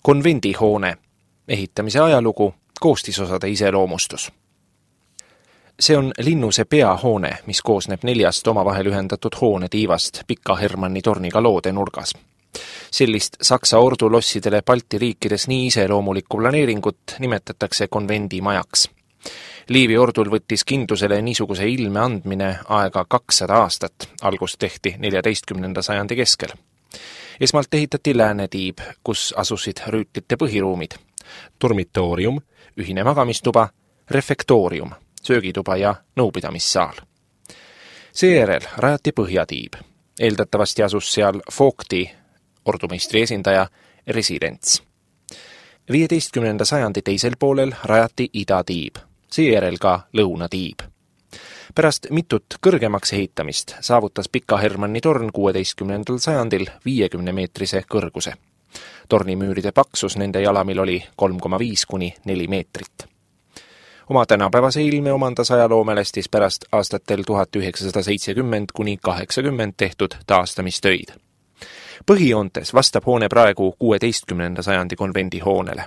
Konvendihoone, ehitamise ajalugu, koostisosade iseloomustus. See on linnuse peahoone, mis koosneb 4 omavahel ühendatud hoonetiivast Pika Hermanni torniga loodenurgas. Sellist Saksa ordulossidele Balti riikides nii iseloomulikku planeeringut nimetatakse konvendimajaks. Liivi ordul võttis kindlusele niisuguse ilme andmine aega 200 aastat, algust tehti 14. sajandi keskel. Esmalt ehitati läänetiib, kus asusid rüütlite põhiruumid, dormitoorium, ühine magamistuba, refektoorium, söögituba ja nõupidamissaal. Seejärel rajati põhjatiib. Eeldatavasti asus seal Vogti, ordumeistri esindaja, residents. 15. sajandi teisel poolel rajati idatiib, seejärel ka lõunatiib. Pärast mitut kõrgemaks ehitamist saavutas Pika Hermanni torn 16. sajandil 50-meetrise kõrguse. Tornimüüride paksus nende jalamil oli 3,5–4 meetrit. Oma tänapäevase ilme omandas ajaloomelestis pärast aastatel 1970–80 tehtud taastamistöid. Põhijoontes vastab hoone praegu 16. sajandi konvendihoonele.